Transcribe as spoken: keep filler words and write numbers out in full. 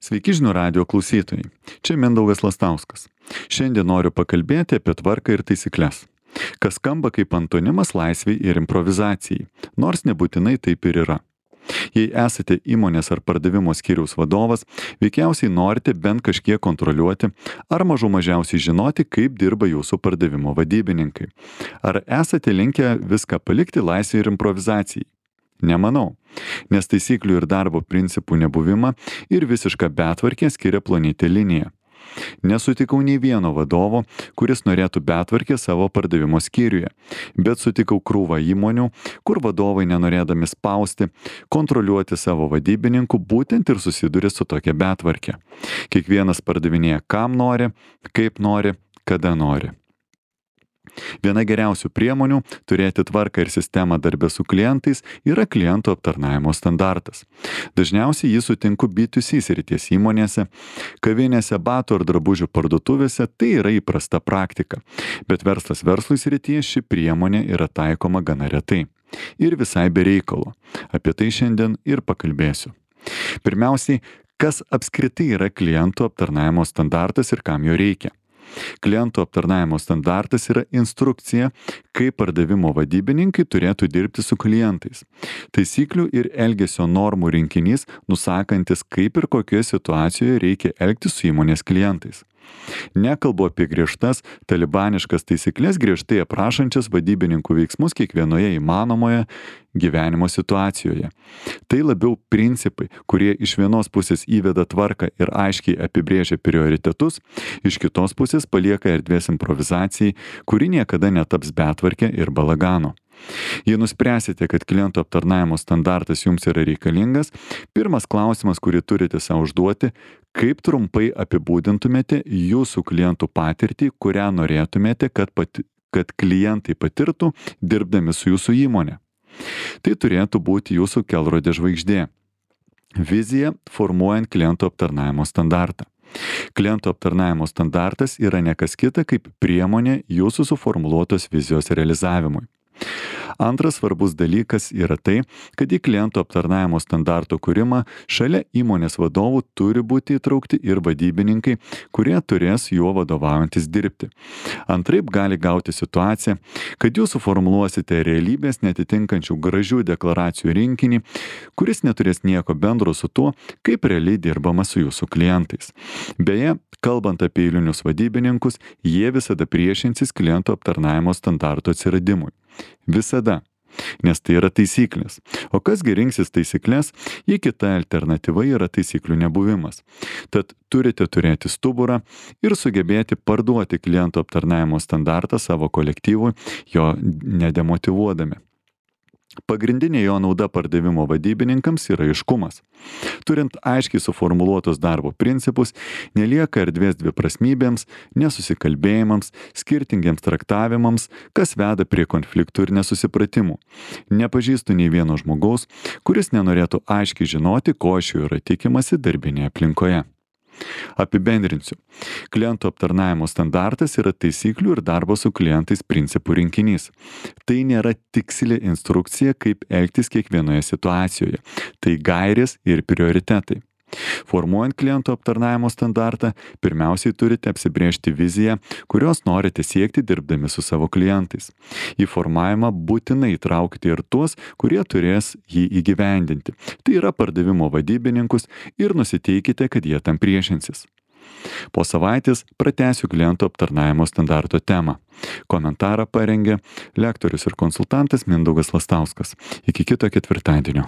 Sveiki žinių radijo klausytojai. Čia Mindaugas Lastauskas. Šiandien noriu pakalbėti apie tvarką ir taisyklės. Kas skamba kaip antonimas laisvei ir improvizacijai, nors nebūtinai taip ir yra. Jei esate įmonės ar pardavimo skyriaus vadovas, veikiausiai norite bent kažkiek kontroliuoti ar mažų mažiausiai žinoti, kaip dirba jūsų pardavimo vadybininkai. Ar esate linkę viską palikti laisvei ir improvizacijai? Nemanau, nes taisyklių ir darbo principų nebuvimą ir visišką betvarkę skiria plonytė linija. Nesutikau nei vieno vadovo, kuris norėtų betvarkę savo pardavimo skyriuje, bet sutikau krūvą įmonių, kur vadovai nenorėdami spausti, kontroliuoti savo vadybininkų, būtent ir susiduria su tokia betvarke. Kiekvienas pardavinėja kam nori, kaip nori, kada nori. Viena geriausių priemonių turėti tvarką ir sistemą darbe su klientais yra klientų aptarnavimo standartas. Dažniausiai jį sutinku B du C srities įmonėse, kavinėse, batų ar drabužių parduotuvėse, tai yra įprasta praktika. Bet verslas verslui srityje ši priemonė yra taikoma gana retai. Ir visai be reikalo. Apie tai šiandien ir pakalbėsiu. Pirmiausiai, kas apskritai yra klientų aptarnavimo standartas ir kam jo reikia? Klientų aptarnavimo standartas yra instrukcija, kaip pardavimo vadybininkai turėtų dirbti su klientais. Taisyklių ir elgesio normų rinkinys, nusakantis, kaip ir kokioje situacijoje reikia elgtis su įmonės klientais. Nekalbu apie griežtas, talibaniškas taisyklės griežtai aprašančias vadybininkų veiksmus kiekvienoje įmanomoje gyvenimo situacijoje. Tai labiau principai, kurie iš vienos pusės įveda tvarką ir aiškiai apibrėžia prioritetus, iš kitos pusės palieka erdvės improvizacijai, kuri niekada netaps betvarke ir balaganu. Jei nuspręsite, kad klientų aptarnavimo standartas jums yra reikalingas, pirmas klausimas, kurį turite savo užduoti, kaip trumpai apibūdintumėte jūsų klientų patirtį, kurią norėtumėte, kad, pati, kad klientai patirtų dirbdami su jūsų įmonė. Tai turėtų būti jūsų kelrodė žvaigždė. Vizija formuojant klientų aptarnavimo standartą. Klientų aptarnavimo standartas yra ne kas kita kaip priemonė jūsų suformuluotos vizijos realizavimui. Antras svarbus dalykas yra tai, kad į klientų aptarnavimo standarto kūrimą šalia įmonės vadovų turi būti įtraukti ir vadybininkai, kurie turės juo vadovaujantis dirbti. Antraip gali gauti situacija, kad jūs suformuluosite realybės netitinkančių gražių deklaracijų rinkinį, kuris neturės nieko bendro su tuo, kaip realiai dirbama su jūsų klientais. Beje, kalbant apie eilinius vadybininkus, jie visada priešinsis klientų aptarnavimo standarto atsiradimui. Visada. Nes tai yra taisyklės. O kas gi rinksis taisyklės, jei kita alternatyva yra taisyklių nebuvimas. Tad turite turėti stuburą ir sugebėti parduoti klientų aptarnavimo standartą savo kolektyvui, jo nedemotyvuodami. Pagrindinė jo nauda pardavimo vadybininkams yra aiškumas. Turint aiškiai suformuluotus darbo principus, nelieka erdvės dviprasmybėms, nesusikalbėjimams, skirtingiems traktavimams, kas veda prie konfliktų ir nesusipratimų. Nepažįstu nei vieno žmogaus, kuris nenorėtų aiškiai žinoti, ko iš jo yra tikimasi darbinėje aplinkoje. Apibendrinsiu. Klientų aptarnavimo standartas yra taisyklių ir darbo su klientais principų rinkinys. Tai nėra tiksli instrukcija, kaip elgtis kiekvienoje situacijoje. Tai gairės ir prioritetai. Formuojant klientų aptarnavimo standartą, pirmiausiai turite apsibrėžti viziją, kurios norite siekti dirbdami su savo klientais. Į formavimą būtinai įtraukite ir tuos, kurie turės jį įgyvendinti. Tai yra pardavimo vadybininkus ir nusiteikite, kad jie tam priešinsis. Po savaitės pratęsiu klientų aptarnavimo standarto temą. Komentarą parengė lektorius ir konsultantas Mindaugas Lastauskas. Iki kito ketvirtadienio.